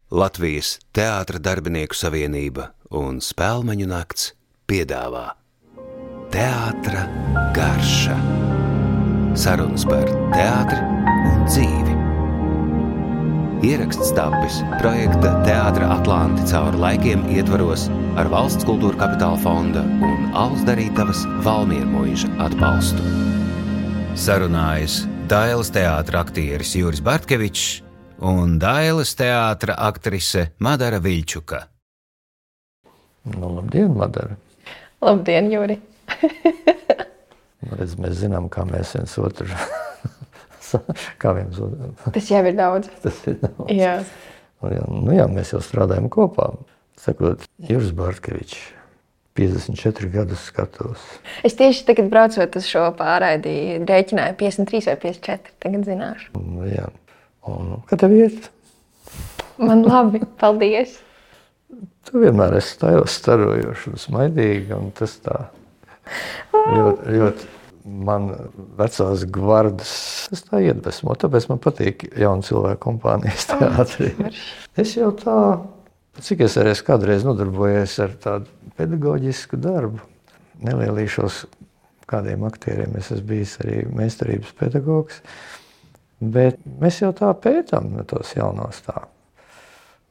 Latvijas Teātra darbinieku savienība un Spēlmeņu nakts piedāvā Teātra garša. Sarunas par teātri un dzīvi. Ieraksts tapis projekta Teātra Atlanti cauri laikiem ietvaros ar Valsts kultūra kapitāla fonda un Alus Darītavas Valmiermuiža atbalstu. Sarunājas Dailes teātra aktieris Juris Bartkevičs un Dailes teātra aktrise Madara Viļčuka. Labdien, Madara! Labdien, Juri! Redz, mēs zinām, kā mēs viens otru... Tas jau ir daudz. Tas ir daudz. Jā. Jā, mēs jau strādājam kopā. Sakot, Juris Bartkevičs, 54 gadus skatos. Es tieši tagad braucot uz šo pārraidi rēķināju 53 vai 54, tagad zināšu. Jā. Un kā tev iet? Man labi, paldies. Tu vienmēr esi starojoši un smaidīgi, un tas tā ļoti man vecās gvardas, tas tā iedvesmo, tāpēc man patīk jaunu cilvēku kompānijas teātrī. Es jau tā, cik es arī kādreiz nodarbojies ar tādu pedagoģisku darbu, nelielīšos kādiem aktieriem, es esmu bijis arī meistarības pedagogs, bet mēs jau tā pētām tos jaunos tā.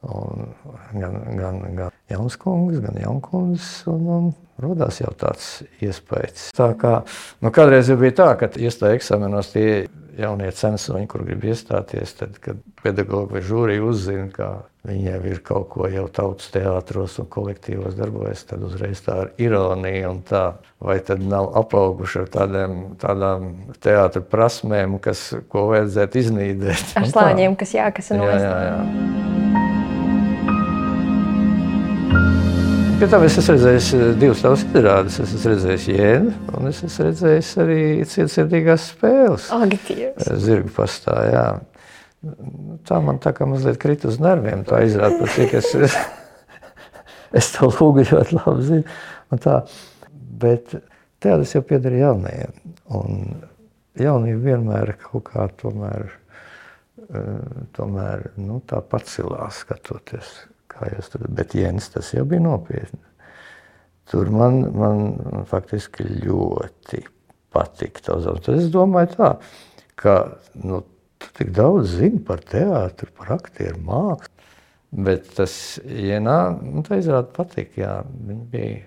Un gan jauns kungs, gan jaunkundzes, un rodās jau tāds iespējas. Tā kā, kādreiz jau bija tā, ka iestāja eksāmenos tie jaunie censoņi, kur grib iestāties, tad, kad pedagogi vai žūrija uzzina, ka viņi jau ir kaut ko jau tautas teātros un kolektīvos darbojas, tad uzreiz tā ar ironiju un tā, vai tad nav apauguši ar tādām teātra prasmēm, ko vajadzētu iznīdēt. Ar slāņiem, kas jākasa nost. Jā. Pie tam es esmu redzējis divas tavas izrādes. Es esmu redzējis Jēnu, un es esmu redzējis arī Cietsirdīgās spēles. Zirgu pastā, jā. Tā man tā kā mazliet krita uz nerviem, tā izrāda, par cik es to lūgu ļoti labi zinu. Un tā. Bet teātris jau pieder jaunajiem, un jaunība vienmēr kaut kā tomēr tā pacilās skatoties. Bet Jens, tas jau bija nopietni. Tur man faktiski ļoti patika tavs. Tad es domāju tā, ka tu tik daudz zini par teātru, par aktieru mākslu, bet tas Jenā, tā izrāda patika, jā. Viņi bija,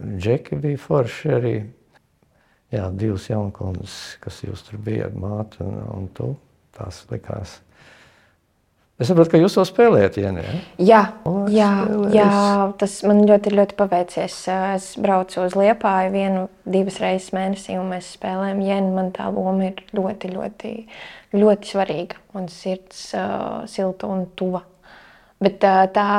Džeki bija forši arī, jā, divas jaunkundas, kas jūs tur bijat, māte un tu, tās likās. Es saprotu, ka jūs to spēlējat, Jēni, ja? Jā, tas man ļoti paveicies. Es braucu uz Liepāju 1-2 reizes mēnesī, un mēs spēlējam Jēni. Man tā loma ir ļoti svarīga, un sirds silta un tuva. Bet tā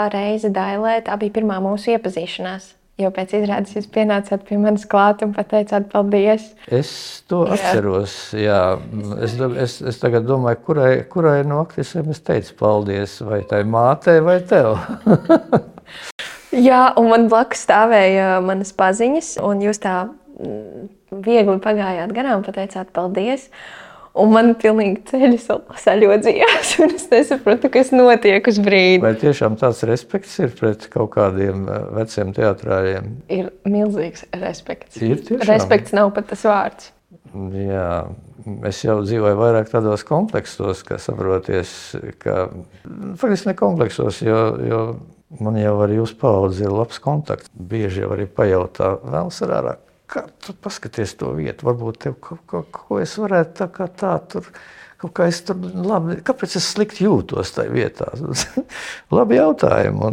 reize Dailē, tā bija pirmā mūsu iepazīšanās. Jo pēc izrādes jūs pienācāt pie manis klāt un pateicāt paldies. Es to atceros, jā. Es tagad domāju, kurai no aktrisēm es teicu paldies, vai tai mātei vai tev? Jā, un man blakus stāvēja manas paziņas, un jūs tā viegli pagājāt garām, pateicāt paldies. Un man pilnīgi ceļi saļodzījās, un es nesapratu, kas notiek uz brīdi. Vai tiešām tāds respekts ir pret kaut kādiem veciem teatrāriem? Ir milzīgs respekts. Ir tiešām? Respekts nav pat tas vārds. Jā, es jau dzīvoju vairāk tādos kompleksos, ka saproties, ka faktiski ne kompleksos, jo man jau ar jūsu paudzi ir labs kontakts. Bieži jau arī pajautā, vēl sarārā. Kā tu paskaties to vietu, varbūt tev ko es varētu tā tur, kaut kā es tur labi, kāpēc es slikti jūtos tajā vietā? Labi jautājumi,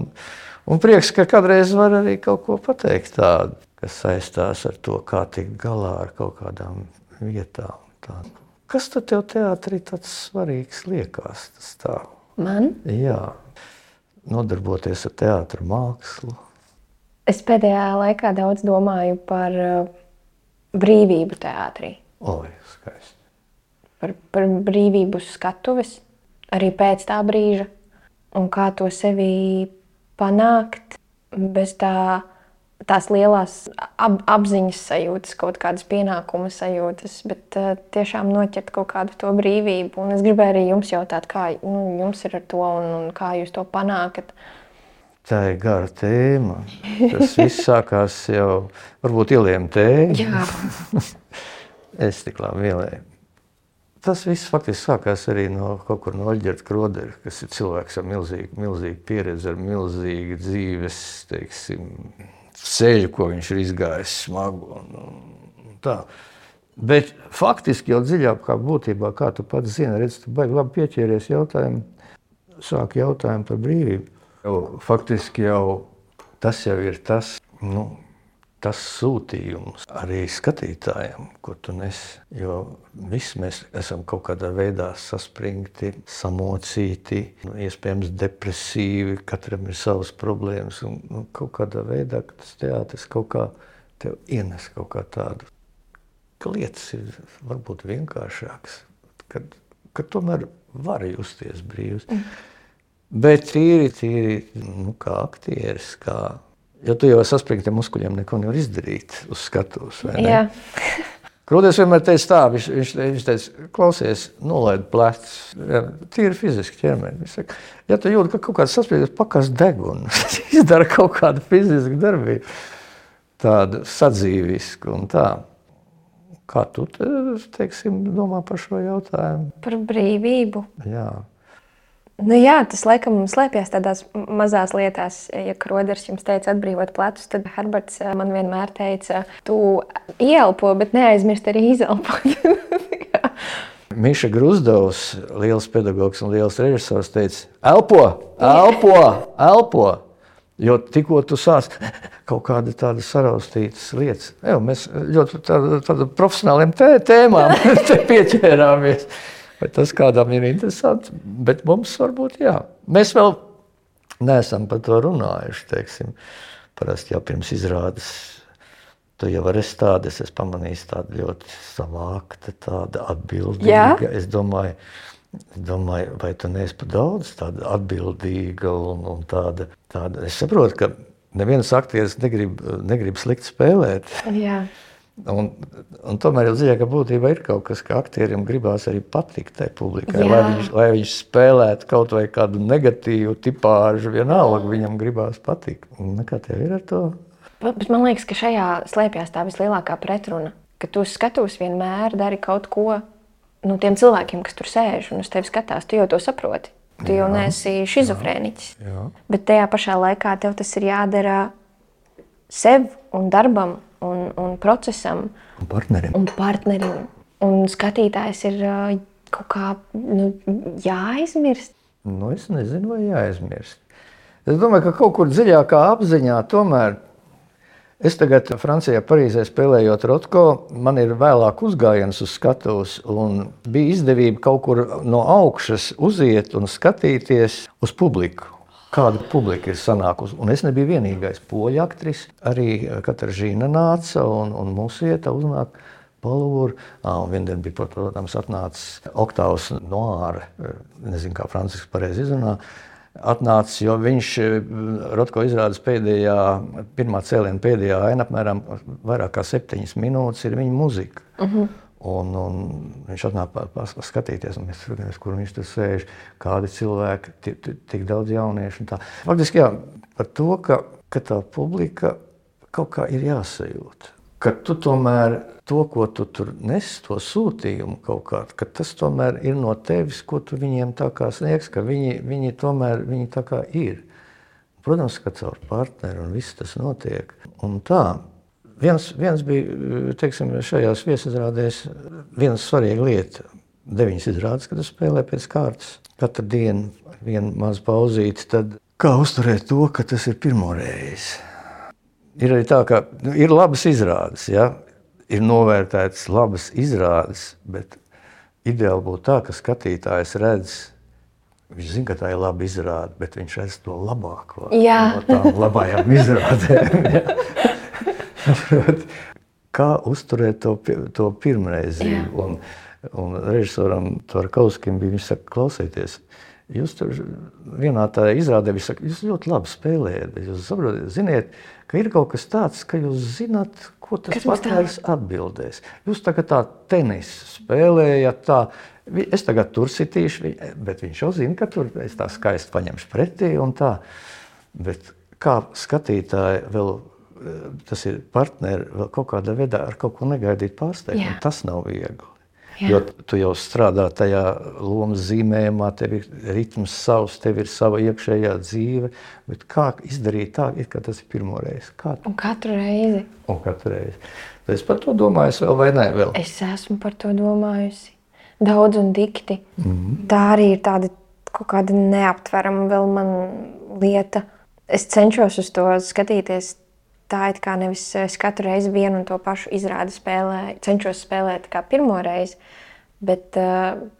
un prieks, ka kādreiz var arī kaut ko pateikt tādu, kas saistās ar to, kā tikt galā ar kaut kādām vietām. Tādu. Kas tad tev teātrī tāds svarīgs liekas? Tas tā? Man? Jā, nodarboties ar teātra mākslu. Es pēdējā laikā daudz domāju par brīvību teātrī. Skaisti. Par brīvību skatuves, arī pēc tā brīža. Un kā to sevi panākt bez tā tās lielās apziņas sajūtas, kaut kādas pienākuma sajūtas, bet tiešām noķert kaut kādu to brīvību. Un es gribēju arī jums jautāt, kā jums ir ar to un kā jūs to panākat. Tā ir gara tēma. Tas viss sākās jau, varbūt ieliem tēju. Jā. Es tik labi ielēju. Tas viss faktiski sākās arī no kaut kur no Oļģerta Krodera, kas ir cilvēks ar milzīgu pieredzi, ar milzīgu dzīves, teiksim, ceļu, ko viņš ir izgājis smagu un tā. Bet faktiski jau dziļākā būtībā, kā tu pats zini, redz, tu baigi labi pieķēries jautājumu, sāki jautājumu par brīvību. Faktiski jau tas jau ir tas, tas sūtījums arī skatītājiem, ko tu nes, jo visi mēs esam kaut kādā veidā saspringti, samocīti, iespējams depresīvi, katram ir savas problēmas un kaut kādā veidā, ka tas teātris kaut kā tev ienes kaut kā tādu, ka lietas ir varbūt vienkāršākas, kad tomēr var justies brīvs. Bet tīri, kā aktieris, jo tu jau saspringtiem muskuļiem neko nevar izdarīt uz skatuves, vai ne? Jā. Kroders vienmēr teica tā, viņš teica, klausies, nolaid plecus, tīri fiziski ķermeni. Viņš saka, ja tu jūti, ka kaut kāds saspringties, pakas degunu, izdara kaut kādu fizisku darbību, tādu sadzīvisku un tā. Kā tu, teiksim, domā par šo jautājumu? Par brīvību. Jā. Jā, tas laikam slēpjas tādās mazās lietās. Ja Kroders jums teica atbrīvot plecus, tad Herberts man vienmēr teica, tu ieelpo, bet neaizmirst arī izelpot. Miša Gruzdovs, liels pedagogs un liels režisors, teica, elpo, jo tikko tu sāc kaut kāda tāda saraustītas lietas. Mēs ļoti tāda profesionāliem tēmām te pieķērāmies. Vai tas kādam ir interesanti, bet mums varbūt jā. Mēs vēl neesam par to runājuši, teiksim. Parasti jau pirms izrādes, tu jau esi tāda, es pamanīju tāda ļoti savākta, tāda atbildīga. Jā? Es domāju, vai tu neesi par daudz tāda atbildīga un tāda. Es saprotu, ka neviens aktieris negrib slikt spēlēt. Jā. Un tomēr jau dziļākā būtībā ir kaut kas, ka aktierim gribās arī patikt tai publikai, lai viņš spēlētu kaut vai kādu negatīvu tipāžu, vienalga viņam gribās patikt. Kā tev ir ar to? Bet man liekas, ka šajā slēpjas tā vislielākā pretruna, ka tu skatos vienmēr dari kaut ko tiem cilvēkiem, kas tur sēž un uz tevi skatās, tu jau to saproti. Tu jau neesi šizofrēniķis. Bet tajā pašā laikā tev tas ir jādara sev un darbam, un procesam. Un partnerim. Un skatītājs ir kaut kā jāaizmirst. Es nezinu, vai jāaizmirst. Es domāju, ka kaut kur dziļākā apziņā tomēr. Es tagad Francijā, Parīzē spēlējot Rotko, man ir vēlāk uzgājiens uz skatuves un bija izdevība kaut kur no augšas uziet un skatīties uz publiku. Kāda publika ir sanākusi. Un es nebiju vienīgais poļu aktris. Arī Kataržīna nāca un mūsu vieta uznāk Palūru. Un viendien bija, protams, atnācis Oktāvs Noāre, nezinu, kā Francisks pareizi izrunā, atnācis, jo viņš Rotko izrādes pirmā cēliena pēdējā aina apmēram vairāk kā 7 minūtes ir viņa muzika. Un viņš atnāk skatīties, un mēs skatāmies, kur viņš tur sēž, kādi cilvēki, tik daudz jauniešu un tā. Faktiski jā, par to, ka tā publika kaut kā ir jāsajūt. Ka tu tomēr to, ko tu tur nes, to sūtījumu kaut kā, ka tas tomēr ir no tevis, ko tu viņiem tā kā sniegs, ka viņi tomēr tā kā ir. Protams, ka caur partneri un viss tas notiek. Un tā. Viens bija, teiksim, šajās viesizrādēs viena svarīga lieta. 9 izrādes, kad es spēlēju pēc kārtas. Katru dienu viena maza pauzīte, tad kā uzturēt to, ka tas ir pirmoreiz. Ir arī tā, ka ir labas izrādes, ja? Ir novērtētas labas izrādes, bet ideāli būtu tā, ka skatītājs redz, viņš zina, ka tā ir laba izrāde, bet viņš redz to labāko no tām labajām izrādēm. Kā uzturēt to pirmreizību. Un režisoram Tvarkauskim bija, viņš saka, klausieties, Jūs tur vienā tā izrādē, jūs ļoti labi spēlējat, bet jūs saprotat, ziniet, ka ir kaut kas tāds, ka jūs zināt, ko tas partneris atbildēs. Jūs tagad tā tenisu spēlējat tā, es tagad tur sitīšu, bet viņš jau zina, ka tur es tā skaisti paņemšu pretī un tā. Bet kā skatītāji vēl, tas ir partneri vēl kaut kādā veidā ar kaut ko negaidīt pārsteigt, un tas nav viegli. Jā. Jo tu jau strādā tajā lomas zīmējumā, tev ir ritms savs, tev ir sava iekšējā dzīve, bet kā izdarīt tā, it kā tas ir pirmo reizi? Un katru reizi. Es par to domāju vēl vai ne vēl? Es esmu par to domājusi. Daudz un dikti. Tā arī ir tāda kaut kāda neaptverama vēl man lieta. Es cenšos uz to skatīties tā, it kā nevis es katru reizi vienu un to pašu izrādi spēlēju, cenšos spēlēt kā pirmo reizi, bet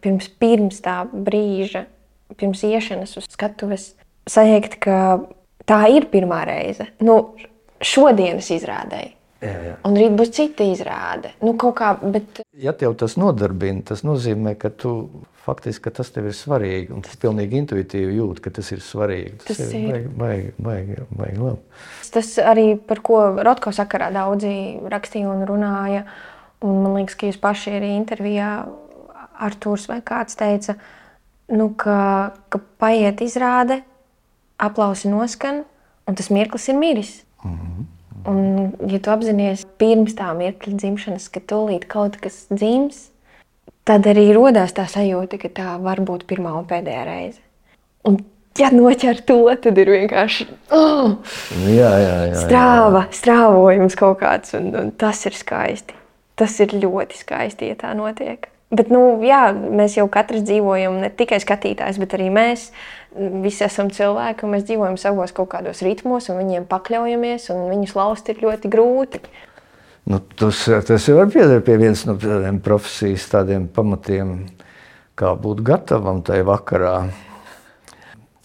pirms tā brīža, pirms iešanas uz skatuves, sajūgt, ka tā ir pirmā reize. Šodienas izrādēji. Jā. Un rīt būs cita izrāde. Kaut kā, bet... Ja tev tas nodarbina, tas nozīmē, ka tu faktiski, ka tas tev ir svarīgi, un tas pilnīgi intuitīvi jūt, ka tas ir svarīgi. Tas ir baigi labi. Tas arī, par ko Rotko sakarā daudzi rakstīja un runāja, un man liekas, ka jūs paši arī intervijā Artūrs vai kāds teica, ka paiet izrāde, aplausi noskan, un tas mirklis ir miris. Un, ja tu apzinies pirms tā mirkļa dzimšanas, ka tūlīt kaut kas dzims, tad arī rodās tā sajūta, ka tā var būt pirmā un pēdējā reize. Un, ja noķer to, tad ir vienkārši strāvojums kaut kāds, un tas ir skaisti. Tas ir ļoti skaisti, ja tā notiek. Bet, mēs jau katrs dzīvojam, ne tikai skatītājs, bet arī mēs visi esam cilvēki, un mēs dzīvojam savos kaut kādos ritmos, un viņiem pakļaujamies, un viņus laust ir ļoti grūti. Tas jau var pieder pie viens no tādiem profesijas tādiem pamatiem, kā būt gatavam tajā vakarā.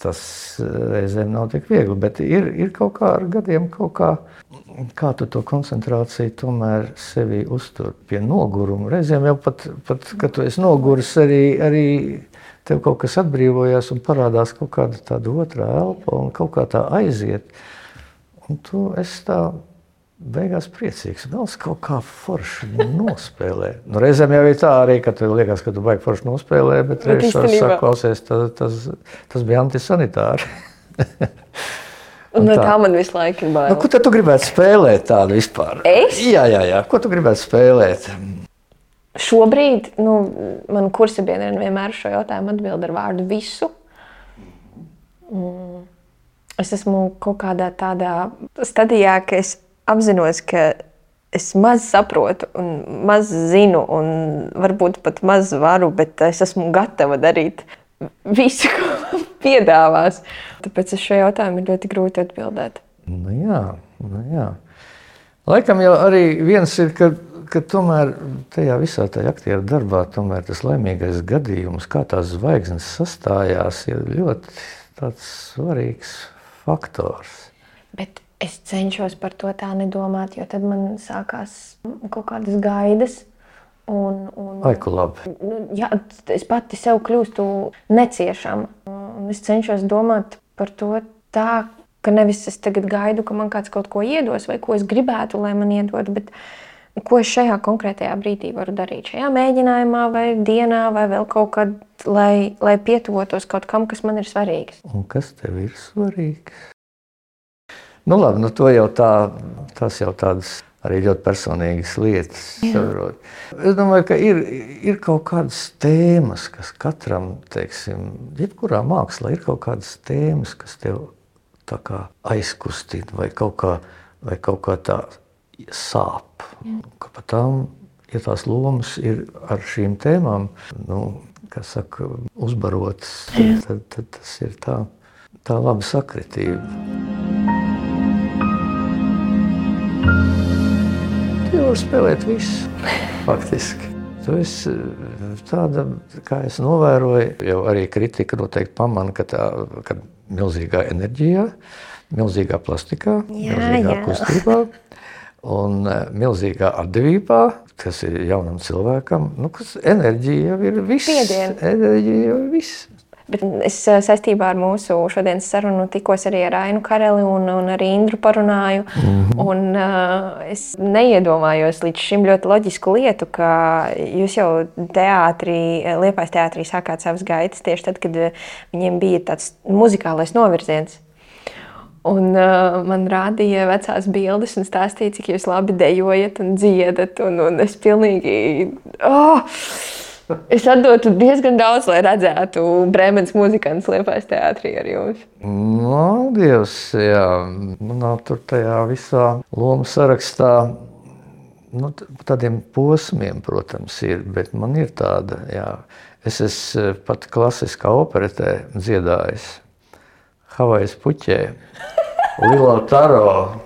Tas reizēm nav tik viegli, bet ir kaut kā ar gadiem kā tu to koncentrāciju tomēr sevi uztur pie noguruma. Reizēm jau pat kad tu esi noguris, arī tev kaut kas atbrīvojās un parādās kaut kāda tāda otrā elpa un kaut kā tā aiziet. Un tu esi tā beigās priecīgs. Vēl kaut kā forši nospēlē. Reizēm jau ir tā arī, ka tev liekas, ka tu baigi forši nospēlē, bet reizēm saka, klausies, tas bija antisanitāri. Un tā man visu laiku ir bail. Ko tad tu gribētu spēlēt tādu vispār? Es? Jā. Ko tu gribētu spēlēt? Šobrīd, man kursabiedriem vienmēr šo jautājumu atbild ar vārdu visu. Es esmu kaut kādā tādā stadijā, ka es apzinos, ka es maz saprotu un maz zinu un varbūt pat maz varu, bet es esmu gatava darīt visu, ko man piedāvās. Tāpēc uz šo jautājumu ir ļoti grūti atbildēt. Jā. Laikam jau arī viens ir, ka tomēr tajā visā tajā aktieru darbā tomēr tas laimīgais gadījums, kā tās zvaigznes sastājās, ir ļoti tāds svarīgs faktors. Bet es cenšos par to tā nedomāt, jo tad man sākās kaut kādas gaidas. Aiku labi. Jā, es pati sev kļūstu neciešama. Es cenšos domāt par to tā, ka nevis es tagad gaidu, ka man kāds kaut ko iedos vai ko es gribētu, lai man iedod, bet ko es šajā konkrētajā brīdī varu darīt. Šajā mēģinājumā vai dienā vai vēl kaut kad, lai pietuvotos kaut kam, kas man ir svarīgs. Un kas tev ir svarīgs? Labi, to jau tas jau tādas arī ļoti personīgas lietas. Saprot. Es domāju, ka ir kaut kādas tēmas, kas katram, jebkurā mākslā ir kaut kādas tēmas, kas tev tā kā aizkustina vai kaut kā tā sāp. Ka pat tām, ja tās lomas ir ar šīm tēmām, uzbarotas, tad tas ir tā laba sakritība. Tu var spēlēt visu, faktiski. Tu esi tāda, kā es novēroju, jau arī kritika noteikti pamana, ka milzīgā enerģijā, milzīgā plastikā, milzīgā kustībā un milzīgā atdevībā, kas ir jaunam cilvēkam, kas enerģija jau ir viss. Spiediens. Enerģija jau ir viss. Bet es saistībā ar mūsu šodienas sarunu tikos arī ar Ainu Kareli un ar Indru parunāju. Un es neiedomājos līdz šim ļoti loģisku lietu, ka jūs jau Liepājas teātrī sākāt savas gaitas tieši tad, kad viņiem bija tāds muzikālais novirziens. Un man rādīja vecās bildes un stāstīja, cik jūs labi dejojat un dziedat. Un es pilnīgi... Es atdotu diezgan daudz, lai redzētu Brēmenes muzikants Liepājas teātrī ar jums. No, Dievs, jā. Manā tur tajā visā lomu sarakstā, tādiem posmiem, protams, ir, bet man ir tāda, jā. Es esmu pat klasiskā operetē dziedājis. Havajas puķē, Lilo Taro.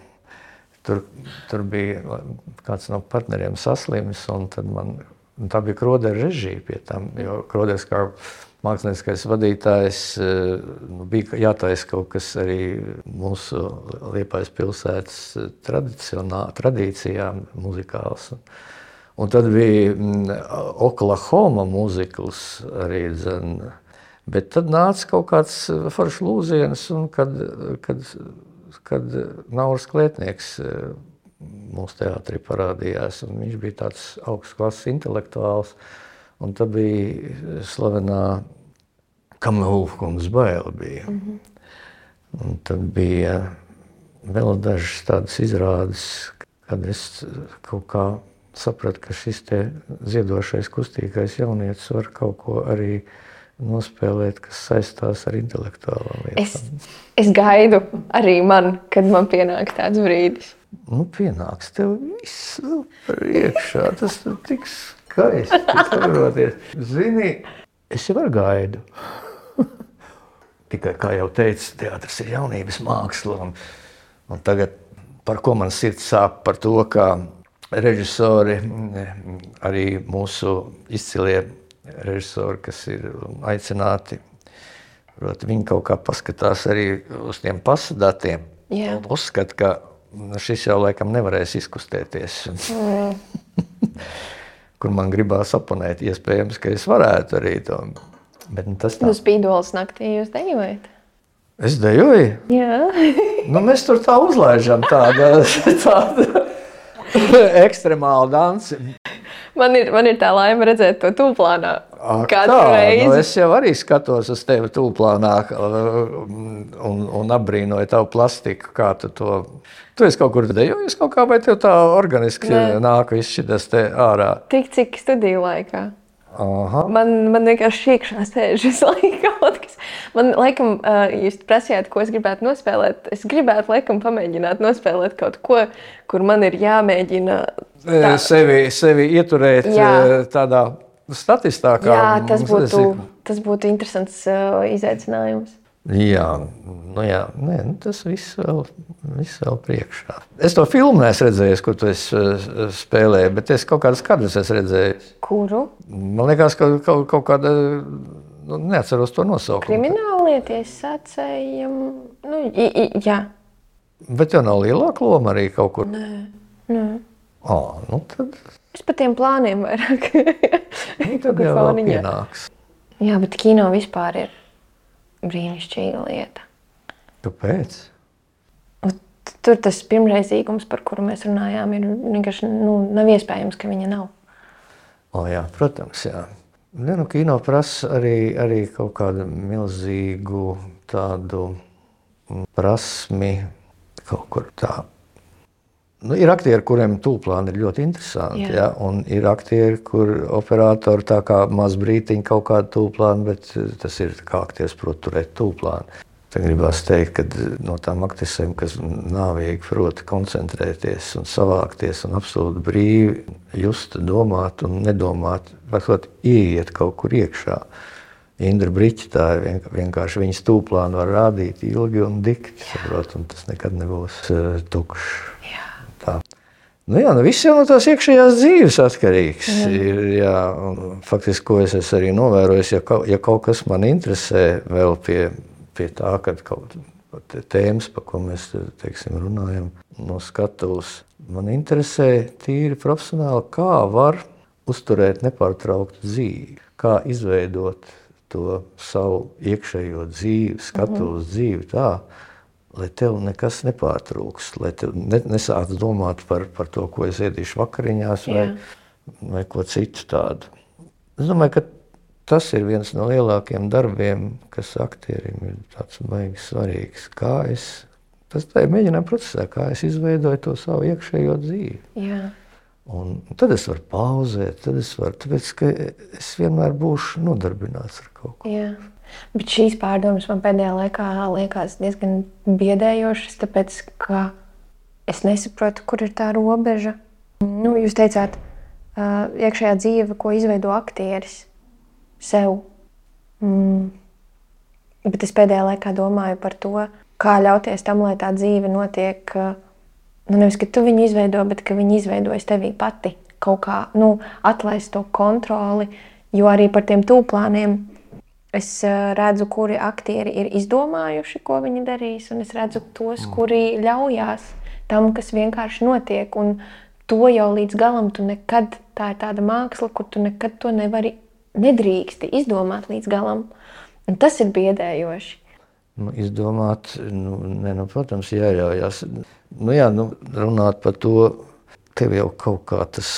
Tur bija kāds no partneriem saslims, un tad tā bija Krodera režija pie tam, jo Kroders kā mākslinieckais vadītājs bija jātaisa kaut kas arī mūsu Liepājas pilsētas tradīcijām muzikāls. Un tad bija Oklahoma muzikls arī, bet tad nāca kaut kāds foršs lūziens, un kad Nauris Klētnieks mūsu teātrī parādījās, un viņš bija tāds augsts klases intelektuāls, un tad bija slavenā Kamehulkundas baile bija. Un tad bija vēl dažas tādas izrādes, kad es kaut kā sapratu, ka šis te ziedošais, kustīgais jaunietis var kaut ko arī nospēlēt, kas saistās ar intelektuālām lietām. Es gaidu arī kad man pienāk tāds brīdis. Pienāks tev viss priekšā, tas tik skaisti, saproties. Zini, es jau ar gaidu. Tikai, kā jau teicu, teātris ir jaunības māksla, un tagad, par ko man sirds sāp, par to, kā režisori, arī mūsu izcilie režisori, kas ir aicināti, viņi kaut kā paskatās arī uz tiem pasadatiem. Uzskat, ka šis jau laikam nevarēs izkustēties. Kur man gribās oponēt, iespējams, ka es varētu arī to. Bet tas tā. Spīdoles naktī jūs dejojat? Es dejoju? Jā. Mēs tur tā uzlaižam tādu ekstremālu dansi. Man ir tā laime redzēt to tūplānā. Katru reizi. Es jau arī skatos uz tevi tūplānā un apbrīnoju tavu plastiku, kā tu to... Tu esi kaut kur dejojis kaut kā, vai tev tā organiski nāk viss šitas te ārā? Tik cik studiju laikā. Aha. Man vienkārši iekšā sēž visu laiku kaut kas. Man, laikam, jūs prasījāt, ko es gribētu nospēlēt. Es gribētu, laikam, pamēģināt nospēlēt kaut ko, kur man ir jāmēģina... Sevi ieturēt tādā statistā. Jā, tas būtu interesants izaicinājums. Jā, tas viss vēl priekšā. Es to filmu neesmu redzējis, kur tu esi spēlēji, bet es kaut kādas kadrus esmu redzējis. Kuru? Man liekas, ka kaut kāda, neatceros to nosaukumu. Krimināllieties sacējam, jā. Bet jau nav lielāka loma arī kaut kur? Nē. Tad... Es pa tiem plāniem vairāk. Tad jau vēl pienāks. Jā, bet kino vispār ir brīnišķīga lieta. Kāpēc? Tur tas pirmreizīgums, par kuru mēs runājām, ir vienkārši nav iespējams, ka viņa nav. Jā, protams, jā. Kino prasa arī kaut kādu milzīgu tādu prasmi, kaut kur tā. Ir aktieri, kuriem tūplāni ir ļoti interesanti, ja? Un ir aktieri, kur operatori tā kā maz brītiņi kaut kādu tūplānu, bet tas ir kā aktieris prot turēt tūplānu. Tad gribās teikt, ka no tām aktrisēm, kas nāvīgi prot koncentrēties un savākties un absolūti brīvi just, domāt un nedomāt, varbūt ieiet kaut kur iekšā. Indra Briķa, tā vienkārši viņas tūplānu var rādīt ilgi un dikti, saprot, un tas nekad nebūs tukšs. Viss jau no tās iekšējās dzīves atkarīgs. Faktiski, ko es arī novērojis, ja kaut kas man interesē vēl pie tā, kad kaut tēmas, pa ko mēs, teiksim, runājam no skatuves, man interesē tīri profesionāli, kā var uzturēt nepārtrauktu dzīvi, kā izveidot to savu iekšējo dzīvi, skatu uz dzīvi tā, lai tev nekas nepārtrūks, lai tev nesāc domāt par to, ko es ēdīšu vakariņās vai ko citu tādu. Es domāju, ka tas ir viens no lielākiem darbiem, kas aktierim ir tāds baigi svarīgs. Tas tā ir mēģinājuma procesā, kā es izveidoju to savu iekšējo dzīvi. Jā. Un tad es varu pauzēt, tāpēc, ka es vienmēr būšu nodarbināts ar kaut ko. Jā. Bet šīs pārdomas man pēdējā laikā liekas diezgan biedējošas, tāpēc, ka es nesaprotu, kur ir tā robeža. Jūs teicāt, iekšējā dzīve, ko izveido aktieris sev. Bet es pēdējā laikā domāju par to, kā ļauties tam, lai tā dzīve notiek, nevis, ka tu viņu izveido, bet ka viņi izveidojas tevī pati kaut kā, atlaist to kontroli, jo arī par tiem tūplāniem es redzu, kuri aktieri ir izdomājuši, ko viņi darīs, un es redzu tos, kuri ļaujās tam, kas vienkārši notiek, un to jau līdz galam tu nekad, tā ir tāda māksla, kur tu nekad to nedrīksti izdomāt līdz galam, un tas ir biedējoši. Izdomāt, protams, jāļaujās. Runāt par to, tev jau kaut kā tas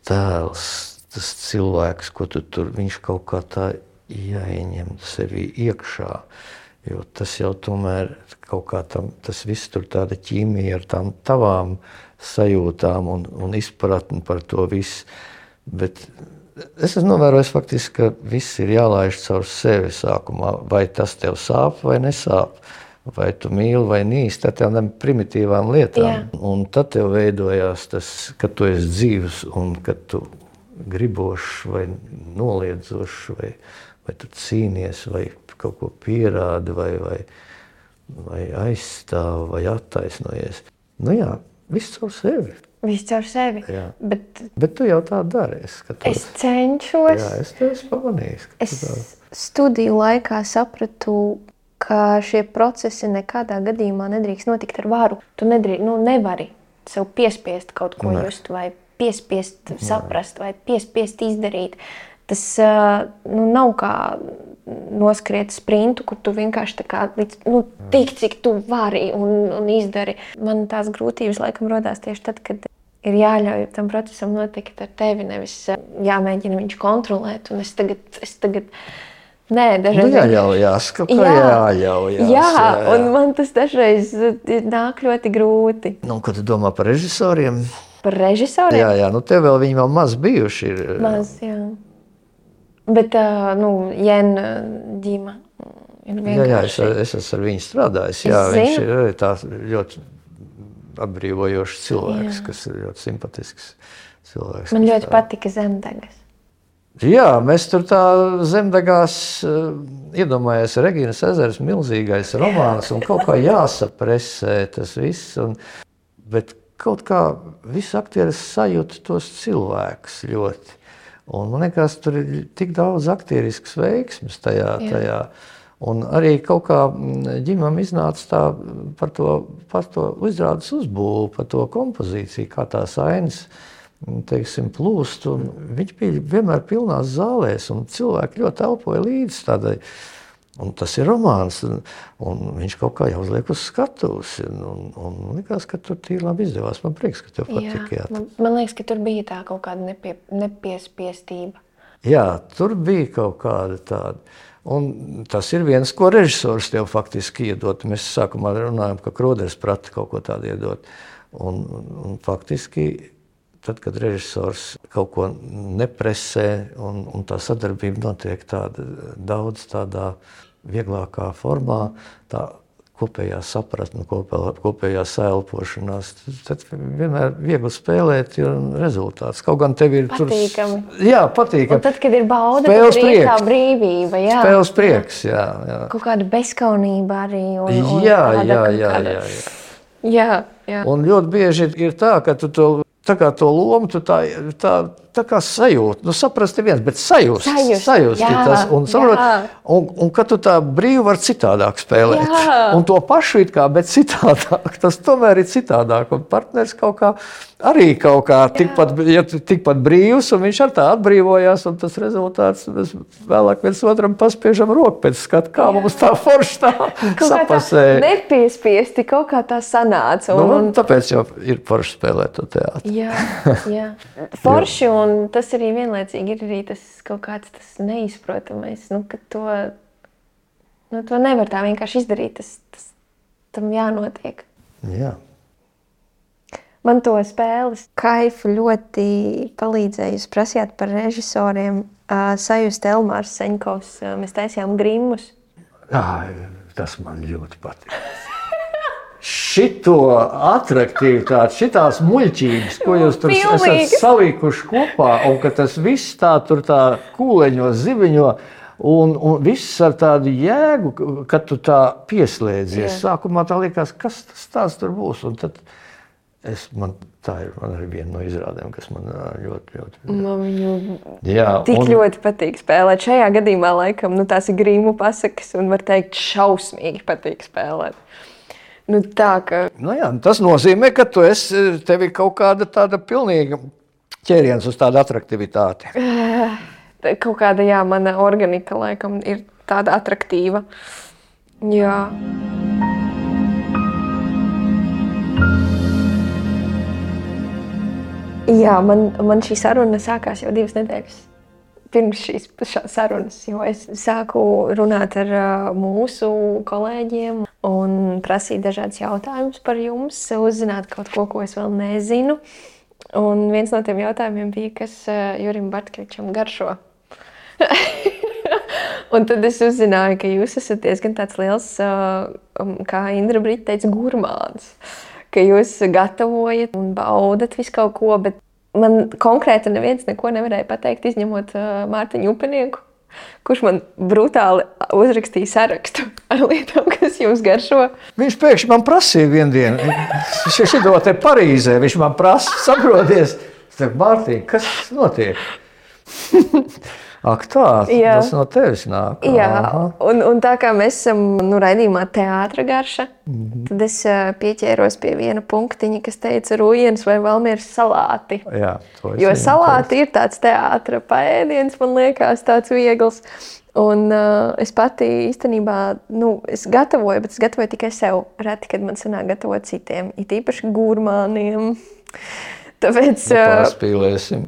tēls, tas cilvēks, ko tu tur, viņš kaut kā tā jāieņem sevī iekšā, jo tas jau tomēr kaut kā tas viss tur tāda ķīmija ar tām tavām sajūtām un izpratni par to visu, bet es esmu novērojis faktiski, ka viss ir jālaiž caur sevi sākumā, vai tas tev sāp vai nesāp, vai tu mīli vai nīsti, tad tādām primitīvām lietām. Jā. Un tad tev veidojās tas, ka tu esi dzīvs un ka tu gribošs vai noliedzošs, vai tu cīnies, vai kaut ko pierādi, vai aizstāv, vai attaisnojies. Viss caur sevi. Viss caur sevi. Bet tu jau tā dari. Es cenšos. Jā, es tev esmu pamanījis. Es studiju laikā sapratu, ka šie procesi nekādā gadījumā nedrīkst notikt ar varu. Tu nevari sev piespiest kaut ko just, vai piespiest saprast, vai piespiest izdarīt. Tas nav kā noskriet sprintu, kur tu vienkārši tā kā tik, cik tu vari un izdari. Man tās grūtības laikam rodās tieši tad, kad ir jāļauj tam procesam notikt ar tevi, nevis jāmēģina viņš kontrolēt. Un es tagad dažreiz... jāļaujās, kaut kā jāļaujās. Jā, un man tas dažreiz nāk ļoti grūti. Ko tu domā par režisoriem? Par režisoriem? Jā, tev vēl viņi vēl maz bijuši ir. Maz, jā. Bet, Jēna Ģima ir vienkārši... Jā, es esmu ar viņu strādājis. Jā, viņš ir arī tā ļoti atbrīvojošs cilvēks, kas ir ļoti simpatisks cilvēks. Man ļoti patika Zemdegas. Jā, mēs tur tā Zemdegās iedomājies Regīnas ezers, milzīgais romāns un kaut kā jāsapresē tas viss. Bet kaut kā visi aktieri sajūta tos cilvēkus ļoti. Un man liekas, tur ir tik daudz aktieriskas veiksmes tajā. Un arī kaut kā Ģimam iznāca tā par to izrādes uzbūvu, par to kompozīciju, kā tās ainas, teiksim, plūst. Un viņš bija vienmēr pilnās zālēs, un cilvēki ļoti elpoja līdz tādai. Un tas ir romāns, un viņš kaut kā jau uzliek uz skatuves. Un likās, ka tur tīri labi izdevās. Man prieks, ka tev patika. Man liekas, ka tur bija tā kaut kāda nepiespiestība. Jā, tur bija kaut kāda tāda. Un tas ir viens, ko režisors tev faktiski iedot. Mēs sākumā runājam, ka Kroders prata kaut ko tādu iedot. Un faktiski, tad, kad režisors kaut ko nepresē un tā sadarbība notiek daudz tādā vieglākā formā, tā kopējā sapratne, kopējā saelpošanās, tad vienmēr viegli spēlēt un rezultāts. Kaut gan tev ir patīkami. Jā, patīkami. Un tad, kad ir bauda, tad ir tā brīvība. Jā. Spēles prieks, jā. Kaut kāda bezkaunība arī. Jā. Jā. Un ļoti bieži ir tā, ka tu to tā kā to lomu, tu tā kā sajūti. Saprast viens, bet sajust tas. Un kad tu tā brīvi var citādāk spēlēt. Un to pašu it kā, bet citādāk. Tas tomēr ir citādāk. Un partners kaut kā tikpat brīvs, un viņš ar tā atbrīvojās, un tas rezultāts mēs vēlāk viens otram paspiežam roku pēc skata, kā mums tā forši tā sapasēja. Nepiespiesti, kaut kā tā sanāca. Tāpēc jau ir forši spēlēt to teātri. Jā. Forši, un tas arī vienlaicīgi ir arī tas kaut kāds tas neizprotamais, ka to nevar tā vienkārši izdarīt, tam jānotiek. Jā. Man to spēles kaifu ļoti palīdzēja. Jūs prasījāt par režisoriem. Sajust Elmārs Seņkovs. Mēs taisījām Grimmus. Tas man ļoti patīk. Šito atraktivitāti, šitās muļķības, ko jūs tur esat salikuši kopā, un ka tas viss tā kūleņo, ziviņo, un viss ar tādu jēgu, kad tu tā pieslēdzies. Sākumā tā liekas, kas tas tur būs, un tad man arī viena no izrādēm, kas man ļoti... Man viņu ļoti patīk spēlēt. Šajā gadījumā, laikam, tās ir Grimmu pasakas, un var teikt, šausmīgi patīk spēlēt. Tas nozīmē, ka tev ir kaut kāda tāda pilnīga ķēriens uz tādu atraktivitāti. Kaut kāda, mana organika, laikam, ir tāda atraktīva. Jā. Jā, man šī saruna sākās jau 2 nedēļas pirms šīs sarunas, jo es sāku runāt ar mūsu kolēģiem un prasīt dažādus jautājumus par jums, uzzināt kaut ko es vēl nezinu. Un viens no tiem jautājumiem bija, kas Jurim Bartkevičam garšo. Un tad es uzzināju, ka jūs esat diezgan tāds liels, kā Indra Brita teica, gurmāns. Ka jūs gatavojat un baudat visu kaut ko, bet man konkrēti neviens neko nevarēja pateikt, izņemot Mārtiņu Upenieku, kurš man brutāli uzrakstīja sarakstu ar lietām, kas jums garšo. Viņš pēkšņi man prasīja vienu dienu. Šito te Parīzē viņš man prasa, saproties. Es teiktu, Mārtiņ, kas notiek? Ak tā, tas no tevis nāk. Jā, un tā kā mēs esam raidījumā Teātra garša, tad es pieķēros pie viena punktiņa, kas teica Rujienas vai Valmieras salāti. Jā, jo salāti ir tāds teātra paēdiens, man liekas, tāds viegls. Un es pati īstenībā, es gatavoju, bet es gatavoju tikai sev. Reti, kad man sanāk gatavot citiem, it īpaši gurmāniem. Tāpēc, pārspīlēsim.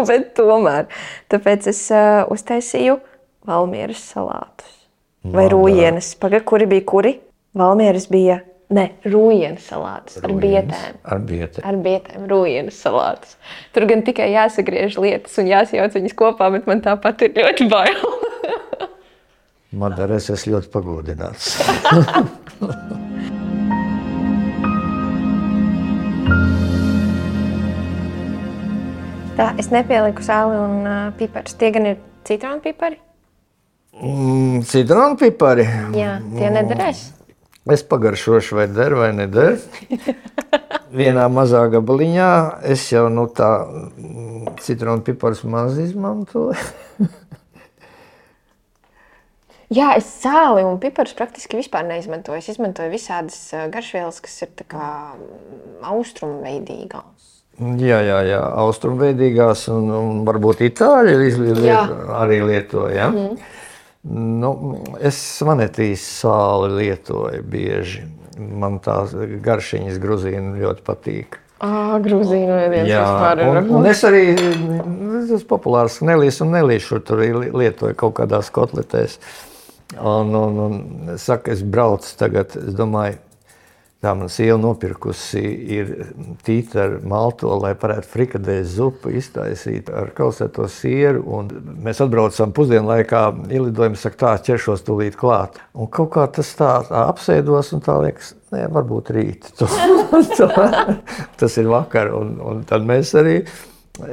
Bet tomēr. Tāpēc es uztaisīju Valmieras salātus. Vai Rujienas. Kuri bija kuri? Valmieras bija, Rujienas salātus. Ar bietēm. Ar bietēm, Rujienas salātus. Tur gan tikai jāsagriež lietas un jāsajauc viņas kopā, bet man tāpat ir ļoti bail. Madara, es esmu ļoti pagodināts. Tā, es nepieliku sāli un piparus. Tie gan ir citronu pipari? Citronu pipari? Jā, tie nederēs. Es pagaršošu, vai der vai neder. Vienā mazā gabaliņā es jau tā citronu piparus maz izmantoju. Jā, es sāli un piparus praktiski vispār neizmantoju. Es izmantoju visādas garšvielas, kas ir tā kā austrumveidīgās. Jā, austrumveidīgās un varbūt itāļi arī lietoja. Es manetīs sāli lietoju bieži. Man tās garšiņas gruzīnu ļoti patīk. Gruzīnu ēdiens vispār ir. Un es arī, tas populārs nelīs un nelīšu, tur lietoju kaut kādās kotletēs. Un saka, es braucu tagad, es domāju, tā man sieva nopirkusi ir tīta ar malto, lai varētu frikadēļu zupu iztaisīt ar kausēto sieru. Un mēs atbraucam pusdienlaikā, ielidojam, saka, tā ķeršos tūlīt klāt. Un kaut kā tas tā apsēdos un tā liekas, varbūt rīt. Tas ir vakar. Un tad mēs arī,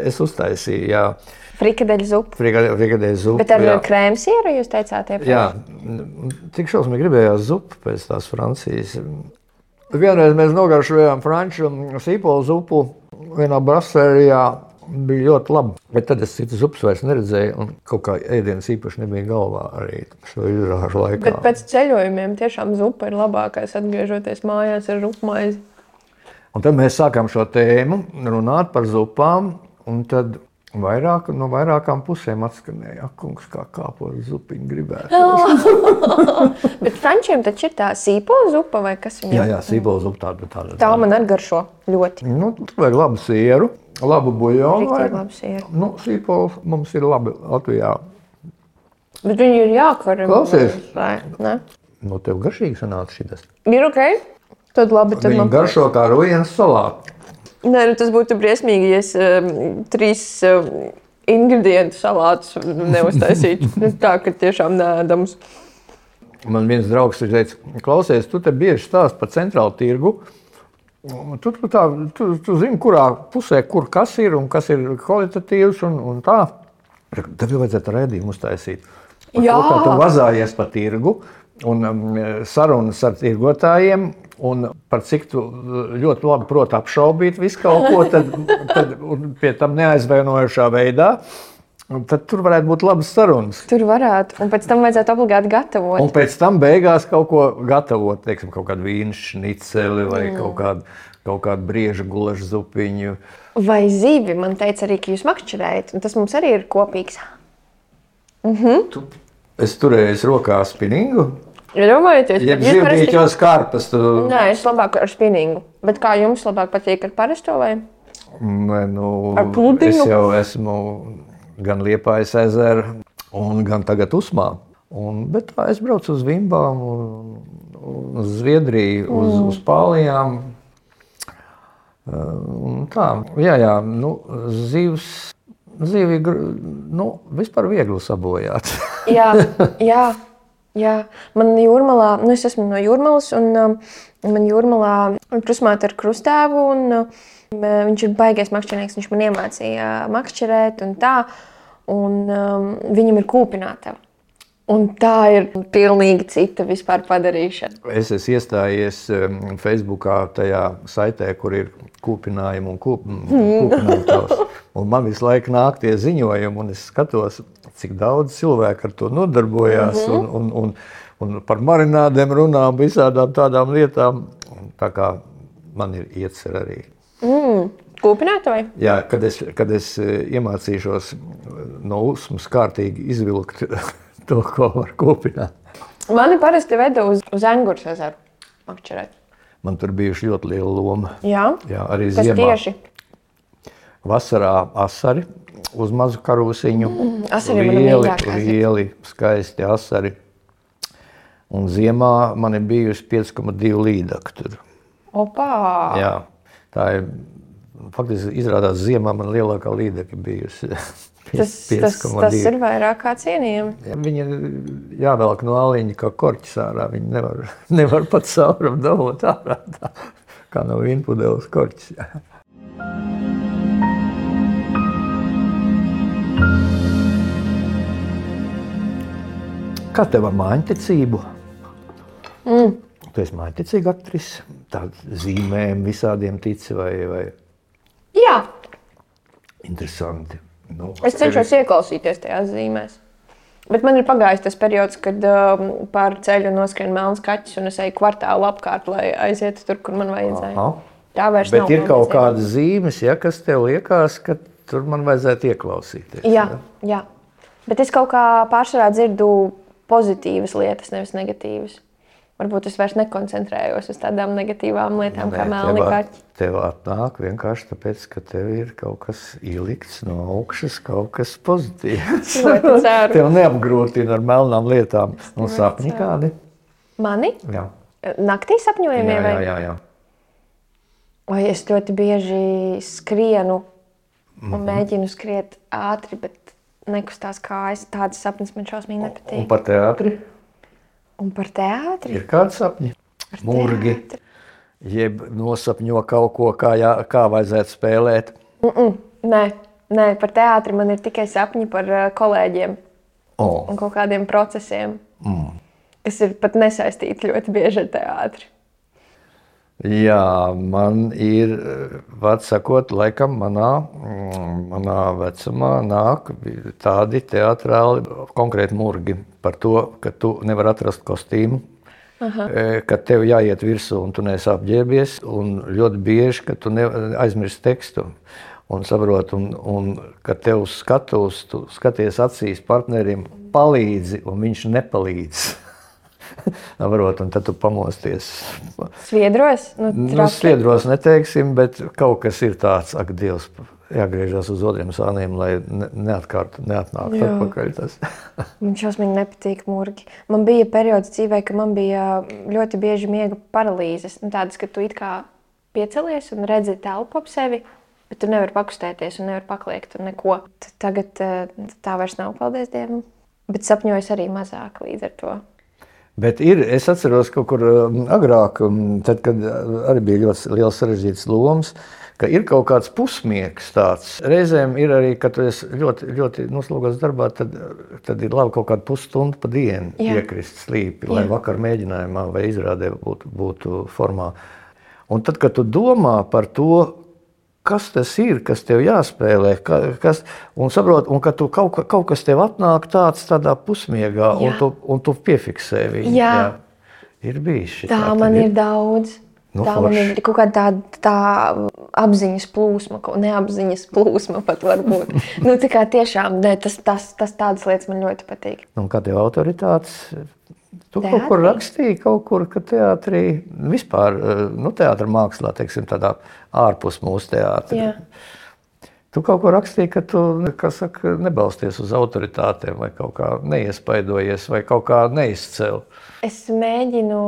es uztaisīju, jā. Frikadeļu zupu. Frikadeļu zupu, bet ar krēmsieru jūs teicāt iepriekš? Jā, tik šausmīgi gribējās zupu pēc tās Francijas. Vienreiz mēs nogaršojām franču sīpolu zupu vienā brasērijā. Bija ļoti labi, bet tad es citas zupas vairs neredzēju, un kaut kā ēdienas īpaši nebija galvā arī šo izrāžu laikā. Bet pēc ceļojumiem tiešām zupa ir labākais, atgriežoties mājās ar rupmaizi. Un tad mēs sākām šo tēmu runāt par zupām, un tad no vairākām pusēm atskanēja, kungs, kā kāpot zupiņu gribētu. Bet frančiem taču ir tā sīpola zupa vai kas viņam? Jā, sīpola zupa tāda. Tā man atgaršo ļoti. Nu, tur vajag labu sieru. Labu buļļonu. Riktīgi labu sieru. Nu, sīpols mums ir labi Latvijā. Bet viņi ir jākaram. Klausies. Ne? Nu, tev garšīgi sanāca šitas. Ir ok? Tad labi. Tad Viņi garšo kā rujienas salāti. Nē, nu tas būtu briesmīgi, ja es 3 ingredientu salātus neuztaisītu. Tā, ka tiešām neēdams. Man viens draugs teica, klausies, tu te bieži stāst par centrālu tirgu. Tu zini, kurā pusē, kur kas ir un kas ir kvalitatīvs un tā. Tev jau vajadzētu raidījumu uztaisīt. Jā. Kā tu vazājies pa tirgu un sarunas ar tirgotājiem un par cik tu ļoti labi proti apšaubīt visu kaut ko, tad pie tam neaizvainojošā veidā. Tad tur varētu būt labas sarunas. Tur varētu, un pēc tam vajadzētu obligāti gatavot. Un pēc tam beigās kaut ko gatavot, teiksim, kaut kādu vīnu šniceli vai kaut kādu brieža gulašu zupiņu. Vai zivi, man teica arī, ka jūs makšķerējat, un tas mums arī ir kopīgs. Es turēju rokā spinningu. Iedomājieties, Jeb zivdīķos karpas. Nē, es labāk ar spinningu. Bet kā jums labāk patīk ar parasto vai? Nē, Ar pludiņu? Es jau esmu gan Liepājas ezeru, un gan tagad Usmā. Bet tā es braucu uz Vimbām, uz Zviedriju, uz Pālijām. Tā, jā, nu, zivi, nu, vispār viegli sabojāt. Jā. Man Jūrmalā, nu es esmu no Jūrmalas, un man Jūrmalā krustmāte ar krustēvu, un viņš ir baigies makšķernieks, viņš man iemācīja makšķerēt un tā, un viņam ir kūpinātava. Un tā ir pilnīgi cita vispār padarīšana. Es esmu iestājies Facebookā tajā saitē, kur ir kūpinājumi un kūpinātavas. Un man visu laiku nāk tie ziņojumi, un es skatos, cik daudz cilvēku ar to nodarbojās, un par marinādēm runā, visādām tādām lietām. Tā kā man ir iecer arī. Kūpinātavai? Jā, kad es iemācīšos no Usmas kārtīgi izvilkt to, ko var kūpināt. Mani parasti veda uz Engures ezeru makšķerēt. Man tur bijuši ļoti liela loma. Jā? Jā, arī Kas ziemā. tieši? Vasarā asari uz mazu karūsiņu. Asari man ir mīļākās. Lieli, skaisti asari. Un ziemā man ir bijusi 5,2 līdaka tur. Opā! Jā, tā ir, faktiski izrādās ziemā man lielākā līdaka bijusi. Tas ir vairāk kā cienījami. Viņa jāvelk no āliņa kā korķis ārā. Viņa nevar pat saurumu dabūt ārā, tā, kā no vīnpudeles korķis. Kā tev ar mājiņticību? Tu esi mājiņticīga aktrise? Tāda zīmēm visādiem tici vai? Jā. Interesanti. Nu, Es cenšos ieklausīties tajās zīmēs. Bet man ir pagājis tas periods, kad pār ceļu noskrien melns kaķis un es eju kvartālu apkārt, lai aizietu tur, kur man vajadzēja. Aha. Tā vairs Bet nav. ir kaut kādas zīmes, ja, kas tev liekas, ka tur man vajadzētu ieklausīties. Jā. Bet es kaut kā pārsvarā dzirdu pozitīvas lietas, nevis negatīvas. Varbūt es vairs nekoncentrējos uz tādām negatīvām lietām, kā melni kaķi. Tev atnāk vienkārši tāpēc, ka tev ir kaut kas ielikts no augšas, kaut kas pozitīvs. Ļoti ceru. Tev neapgrūtina ar melnām lietām. Un sapņi kādi? Mani? Jā. Naktī sapņojumie vai? Jā. Vai es ļoti bieži skrienu un mēģinu skriet ātri, bet nekustās kājas. Tādas sapnis man šausmīgi nepatīk. Un par teātri? Un par teātri? Ir kādi sapņi? Murgi, jeb nosapņo kaut ko, kā vajadzētu spēlēt? Nē, par teātri man ir tikai sapņi par kolēģiem un kaut kādiem procesiem, kas ir pat nesaistīti ļoti bieži ar teātri. Jā, man ir, vārds sakot, laikam manā vecumā nāk tādi teatrāli, konkrēti murgi par to, ka tu nevar atrast kostīmu, ka tev jāiet virsū un tu neesi apģērbies, un ļoti bieži, ka tu aizmirsti tekstu. Un saprot, un kad tev uz skatuves, tu skaties acīs partnerim, palīdzi, un viņš nepalīdz. Varot, un tad tu pamosties. Sviedros? Sviedros neteiksim, bet kaut kas ir tāds, ak, Dievs, jāgriežas uz otriem sāniem, lai neatnāktu atpakaļ tas. Man šausmīgi nepatīk murgi. Man bija periods dzīvē, ka man bija ļoti bieži miega paralīzes. Tādas, ka tu it kā piecelies un redzi telpu ap sevi, bet tu nevari pakustēties un nevari pakliegt un neko. Tagad tā vairs nav, paldies Dievam. Bet sapņojas arī mazāk līdz ar to. Bet es atceros kaut kur agrāk, tad, kad arī bija ļoti liels sarežģīts lomas, ka ir kaut kāds pusmiegs tāds. Reizēm ir arī, kad tu esi ļoti noslogots darbā, tad ir labi kaut kādu pusstundu pa dienu iekrist slīpi, lai vakar mēģinājumā vai izrādē būtu formā. Un tad, kad tu domā par to, kas tas ir, kas tev jāspēlē, un saprot, un ka tu kaut kas tev atnāk tādā pusmiegā, un tu piefiksē viņu. Jā. Ir bijis šitā. Tā man ir daudz. Tā man ir kaut kāda tā apziņas plūsma, neapziņas plūsma pat varbūt. Tā kā tiešām, tas tādas lietas man ļoti patīk. Un kā tev autoritātes? Tu teātrī? Kaut kur rakstīji, ka teātrī, vispār, teātra mākslā, teiksim, tādā ārpus mūsu teātra. Jā. Tu kaut ko rakstīji, ka tu, nebalsties uz autoritātēm vai kaut kā neiespaidojies vai kaut kā neizcēl. Es mēģinu,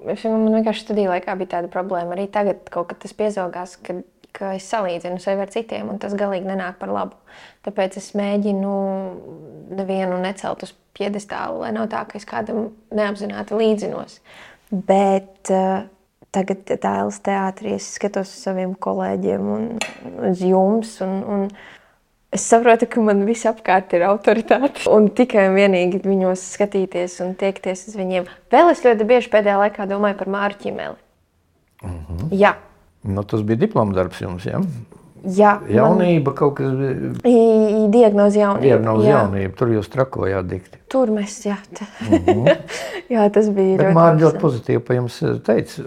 man vienkārši studiju laikā bija tāda problēma, arī tagad kaut kad tas piezogās, ka es salīdzinu sevi ar citiem, un tas galīgi nenāk par labu. Tāpēc es mēģinu nevienu necelt uz piedestālu, lai nav tā, ka es kādam neapzināti līdzinos. Bet tagad Dailes teātrī es skatos uz saviem kolēģiem un uz jums, un es saprotu, ka man viss apkārt ir autoritāte. Un tikai un vienīgi viņos skatīties un tiekties uz viņiem. Vēl es ļoti bieži pēdējā laikā domāju par Māru Ķimeli. Jā. Tas bija diploma darbs jums, jā? Jā. Jaunība kaut kas bija? Diagnoze jaunība. Diagnoze jaunība. Tur jūs trakojāt dikti. Tur mēs, jā. Jā, tas bija bet ļoti. Bet Māra ļoti pozitīvi pa jums teica.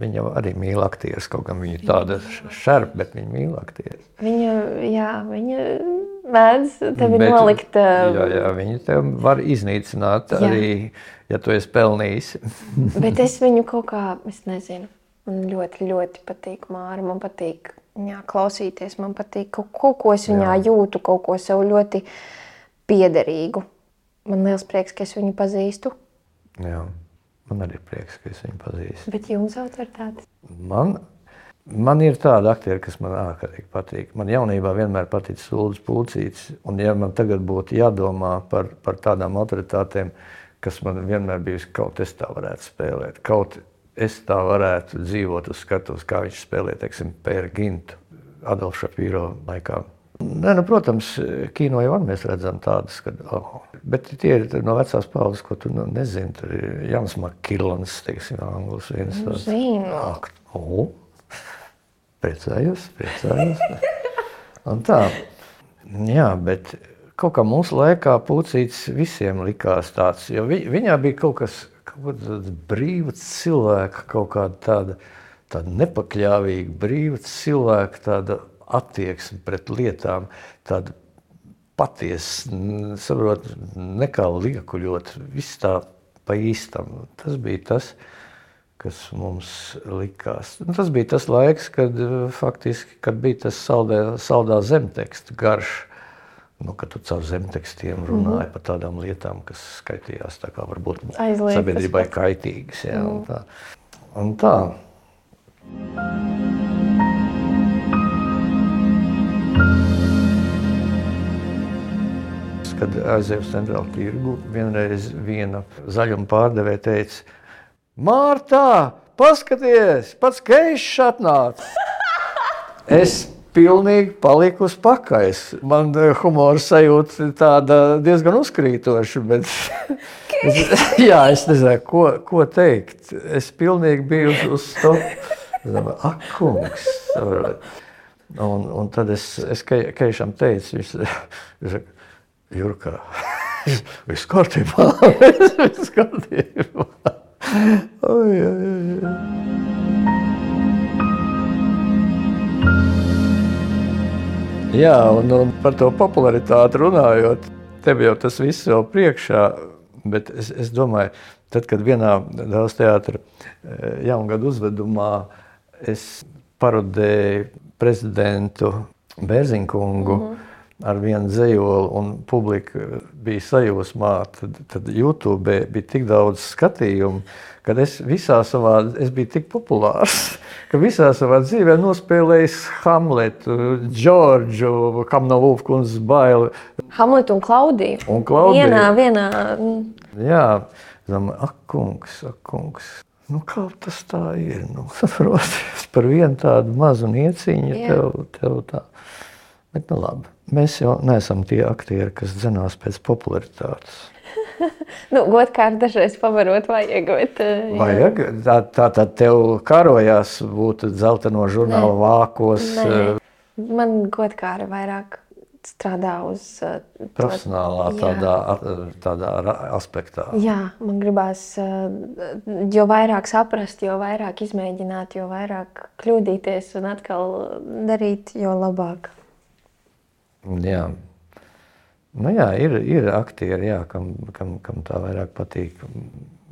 Viņa arī mīl aktieris, kaut gan viņa ir tāda šerpa, bet viņa mīl aktieris. Viņa mēdz tevi nolikt. Jā, viņa tev var iznīcināt arī, ja tu esi pelnījis. Bet es viņu kaut kā, es nezinu, man ļoti, ļoti patīk Māra, man patīk klausīties, man patīk kaut ko es viņā jūtu, kaut ko sev ļoti piederīgu. Man liels prieks, ka es viņu pazīstu. Jā. Man arī prieks, ka es viņu pazīstu. Bet jums autoritāte? Man ir tāda aktieri, kas man ārkārtīgi patīk. Man jaunībā vienmēr patīk Uldis Pulcītis. Un ja man tagad būtu jādomā par tādām autoritātēm, kas man vienmēr bijusi, kaut es tā varētu spēlēt, kaut es tā varētu dzīvot uz skatuves, kā viņš spēlē, teiksim, Pēru Gintu, Adolfu Šapīro laikā. Protams, kino jau mēs redzam tādas, bet tie ir no vecās paudzes, ko tu nezini. Tur ir Jans Makilons, teiksim, Anglis viens tāds. Zinu. Priecājos. Un tā. Jā, bet kaut kā mūsu laikā Pulcītis visiem likās tāds, jo viņā bija kaut kas brīva cilvēka, kaut kāda tāda nepakļāvīga brīva cilvēka, tāda attieksme pret lietām, tāda patiesa, saprot, nekā liekuļot, viss tā pa īstam. Tas bija tas, kas mums likās. Tas bija tas laiks, kad faktiski, kad bija tas saldā zemteksta garš, kad tu caur zemtekstiem runāji par tādām lietām, kas skaitījās tā kā varbūt sabiedrībai kaitīgas. Jā, un tā. Kad aizēju uz centrālu tirgu, vienreiz viena zaļuma pārdevēja teica: Mārtā, paskaties, pats Keišs atnāca. Es pilnīgi paliku uz pakaļs. Man humora sajūta tāda diezgan uzkrītoša, bet Es nezinu, ko teikt. Es pilnīgi biju uz stop. Ak, kungs. Un tad es Keišam teicu, viņš saka, Jurka, viss kārtībā. Viss kārtībā. Oi. Jā, un par to popularitāti runājot, tev jau tas viss vēl priekšā, bet es domāju, tad, kad vienā Dāles teātra jaungadu uzvedumā es parodēju prezidentu Bērziņkungu ar vienu dzejoli un publika bija sajūsmā, tad YouTube bija tik daudz skatījumu, kad es biju tik populārs, ka visā savā dzīvē nospēlējis Hamletu, Džordžu, kam nav Ulfkundzes baili. Hamletu un Klaudiju. Vienā. Jā, ak, kungs. Kā tas tā ir? Protams, par vienu tādu mazu nieciņu tev tā. Bet labi, mēs jau neesam tie aktieri, kas dzenās pēc popularitātes. Godkārt dažreiz pavarot vajag. Vajag? Tātad tev karojās būt dzelteno žurnālu vākos? Nē. Man godkāri vairāk strādā uz profesionālā tādā aspektā. Jā, man gribās jo vairāk saprast, jo vairāk izmēģināt, jo vairāk kļūdīties un atkal darīt, jo labāk. Jā. Jā, ir aktieri, kam tā vairāk patīk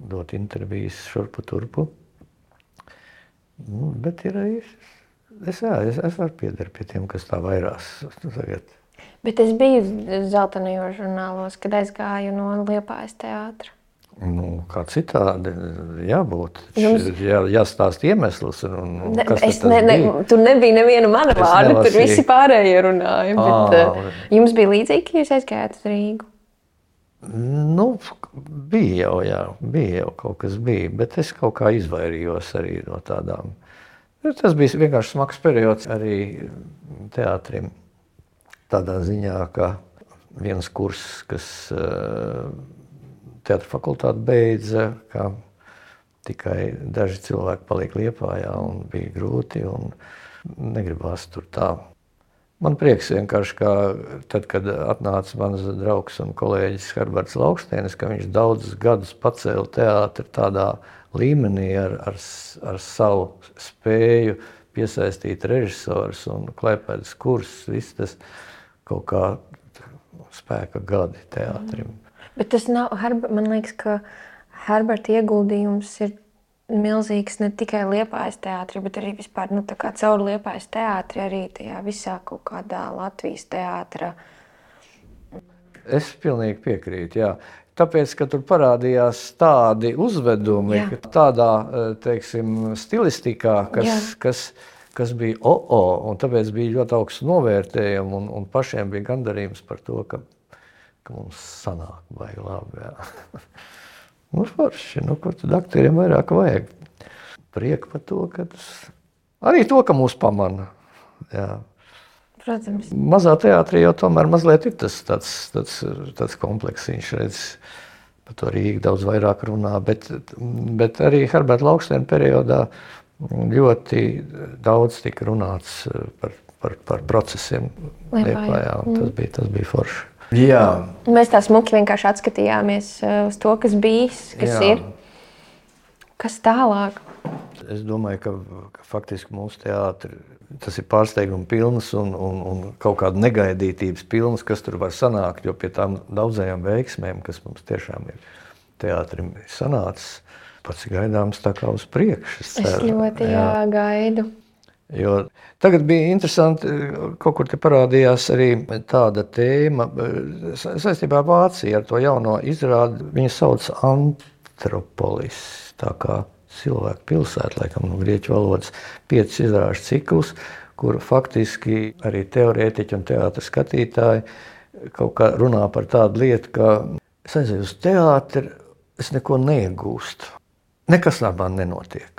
dot intervijas šurpu turpu. Bet ir arī, es varu pieder pie tiem, kas tā vairās tagad. Bet es biju zeltainajos žurnālos, kad aizgāju no Liepājas teātra. Kā citādi jābūt. Jāstāst iemesls. Tur nebija neviena mana vārda, tur visi pārējie runāja. Bet, jums bija līdzīgi, ka jūs aizgājāt uz Rīgu? Bija jau kaut kas bija, bet es kaut kā izvairījos arī no tādām. Tas bija vienkārši smags periods arī teātrim. Tādā ziņā, ka viens kurs, kas teātra fakultāti beidza, ka tikai daži cilvēki paliek Liepājā un bija grūti un negribās tur tā. Man prieks vienkārši, ka tad, kad atnāca mans draugs un kolēģis Herberts Laukštēnis, ka viņš daudzus gadus pacēla teātri tādā līmenī ar savu spēju piesaistīt režisors un klēpēdas kursus, viss tas kaut kā spēka gadi teātrim. Bet tas nav, man liekas, ka Herberta ieguldījums ir milzīgs ne tikai Liepājas teātrī, bet arī vispār, tā kā caur Liepājas teātri arī tajā visā kaut kādā Latvijas teātra. Es pilnīgi piekrītu, jā. Tāpēc, ka tur parādījās tādi uzvedumi, tādā, teiksim, stilistikā, kas bija un tāpēc bija ļoti augsts novērtējumi un pašiem bija gandarījums par to, ka mums sanāk baigi labi, jā. Forši, kur tad aktieriem vairāk vajag. Prieku par to, ka arī to, ka mūs pamana, jā. Protams. Mazā teātrī jau tomēr mazliet ir tāds kompleksiņš, redz, par to Rīgu daudz vairāk runā, bet arī Herberta Laukštēna periodā ļoti daudz tika runāts par procesiem Liepājā, un tas bija forši. Jā. Mēs tā smuki vienkārši atskatījāmies uz to, kas bijis, kas ir, kas tālāk. Es domāju, ka faktiski mūsu teātri, tas ir pārsteiguma pilns un kaut kāda negaidītības pilns, kas tur var sanākt, jo pie tām daudzajām veiksmēm, kas mums tiešām ir teātrim sanācis, pats gaidāms tā kā uz priekšu. Es ļoti gaidu. Jo tagad bija interesanti, kaut kur te parādījās arī tāda tēma saistībā ar Vāciju, ar to jauno izrādi. Viņa sauc Antropolis, tā kā cilvēku pilsēta, laikam no grieķu valodas, 5 izrāžu ciklus, kur faktiski arī teorētiķi un teātra skatītāji kaut kā runā par tādu lietu, ka es aizēju uz teātri, es neko neiegūstu. nekas labā nenotiek.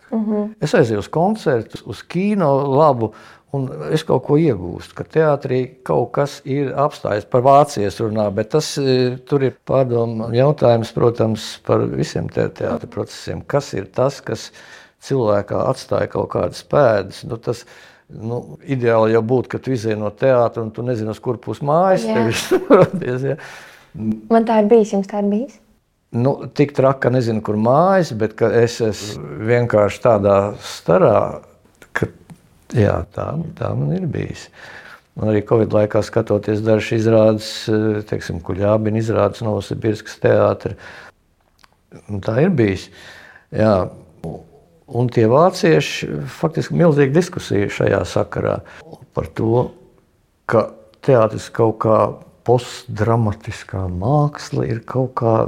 Es aizēju uz koncertu, uz kino labu, un es kaut ko iegūstu, ka teātrī kaut kas ir apstājies, par vācijas runā, bet tas tur ir pārdomu jautājums, protams, par visiem teātra procesiem. Kas ir tas, kas cilvēkā atstāja kaut kādas pēdas? Tas ideāli jau būtu, ka tu izēji no teātra un tu nezini, uz kur pus mājas tevis rodies. Ja? Man tā ir bijis, jums tā ir bijis? Tik traka, nezinu, kur mājas, bet ka es esmu vienkārši tādā starā, ka jā, tā man ir bijis. Un arī Covid laikā skatoties dažas izrādes, teiksim, Kuļābina izrādes Novosibirskas teātra. Tā ir bijis. Jā. Un tie vācieši, faktiski milzīga diskusija šajā sakarā par to, ka teātris kaut kā postdramatiskā māksla ir kaut kā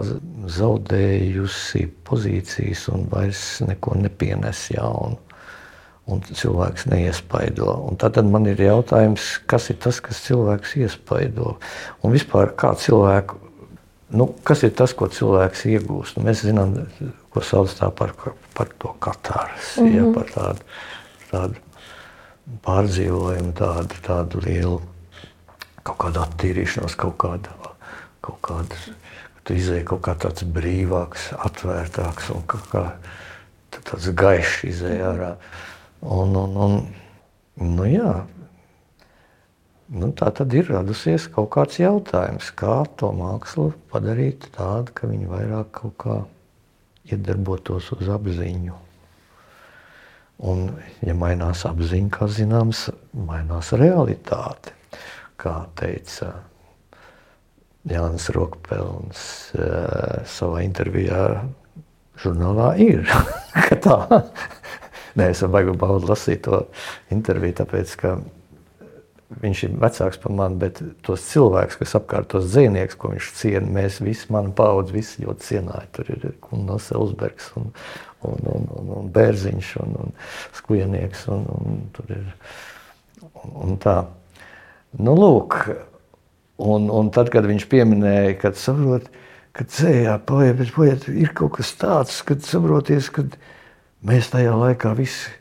zaudējusi pozīcijas un vairs neko nepienes jaunu. Un cilvēks neiespaido. Un tad man ir jautājums, kas ir tas, kas cilvēks iespaido? Un vispār kā cilvēku, kas ir tas, ko cilvēks iegūst? Mēs zinām, ko sauc tā par to katarsi, ja, par tādu pārdzīvojumu, tādu lielu kaut kādu attīrīšanos, kaut kādu, tu izēji kaut kā tāds brīvāks, atvērtāks un kaut kā tāds gaišs izēji ārā. Jā, tā tad ir radusies kaut kāds jautājums, kā to mākslu padarīt tādu, ka viņi vairāk kaut kā iedarbotos uz apziņu. Un, ja mainās apziņa, kā zināms, mainās realitāte. Kā teica Jānis Rokpelns savā intervijā žurnālā ir, ka tā. Nē, es baigi baudu lasīt to interviju, tāpēc, ka viņš ir vecāks par mani, bet tos cilvēkus, kas apkārt tos dzejnieks, ko viņš ciena, mēs visi, mana paudze, visi ļoti cienāja. Tur ir Kunnels Elsbergs un Bērziņš un Skujenieks un tur ir un tā. Lūk, un tad, kad viņš pieminēja, kad saprot, ka dzējā paiet, ir kaut kas tāds, kad saproties, kad mēs tajā laikā visi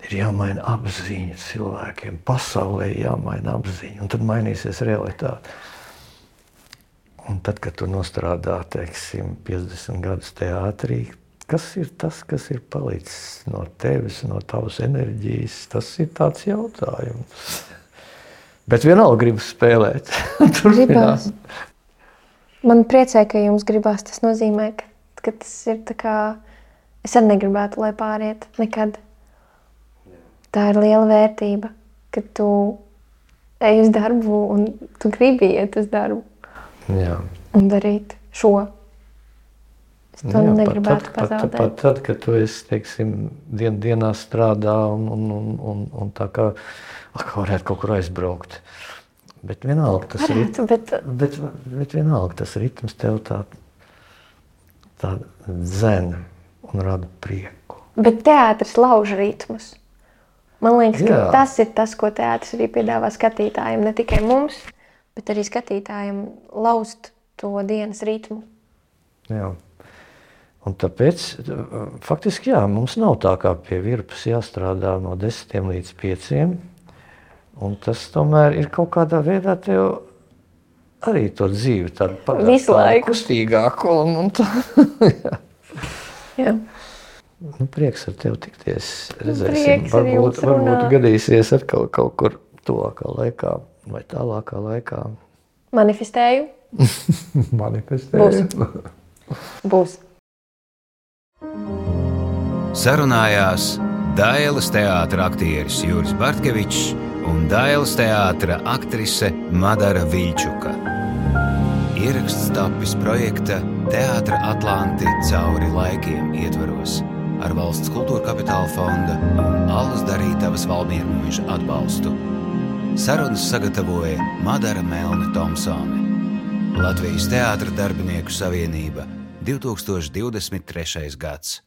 ir jāmaina apziņa cilvēkiem, pasaulē jāmaina apziņa, un tad mainīsies realitāte. Un tad, kad tu nostrādā, teiksim, 50 gadus teātrī, kas ir tas, kas ir palicis no tevis, no tavas enerģijas, tas ir tāds jautājums. Bet vienalga gribas spēlēt. Gribās. Man priecē, ka jums gribās, tas nozīmē, ka tas ir tā kā, es arī negribētu, lai pāriet nekad. Tā ir liela vērtība, ka tu ej uz darbu un tu gribi iet uz darbu. Jā. Un darīt šo. Es to negribētu pazaudēt. Pat tad, kad tu esi, teiksim, dienā strādā un tā kā varētu kaut kur aizbraukt. Bet vienalga tas bet vienalga tas ritms tev tā dzen un rada prieku. Bet teātris lauž ritmus. Man liekas, ka tas ir tas, ko teātris arī piedāvā skatītājiem, ne tikai mums, bet arī skatītājiem lauzt to dienas ritmu. Jā. Un tāpēc, faktiski, mums nav tā kā pie virpas jāstrādā no 10 līdz 5. Un tas tomēr ir kaut kādā veidā tev arī to dzīvi tādu padarīt kustīgāku. Un tā. Jā. Prieks ar tevi tikties. Redzēsim, varbūt gadīsies atkal kaut kur tuvākā laikā vai tālākā laikā. Manifestēju. Manifestēju. Būs. Sarunājās Dailes teātra aktieris Juris Bartkevičs un Dailes teātra aktrise Madara Viļčuka. Ieraksts tapis projekta Teātra Atlanti cauri laikiem ietvaros ar Valsts kultūra kapitāla fonda un Allas Darītavas Valmiermuiža atbalstu. Sarunas sagatavoja Madara Melne Tomsone. Latvijas Teātra darbinieku savienība 2023. gads.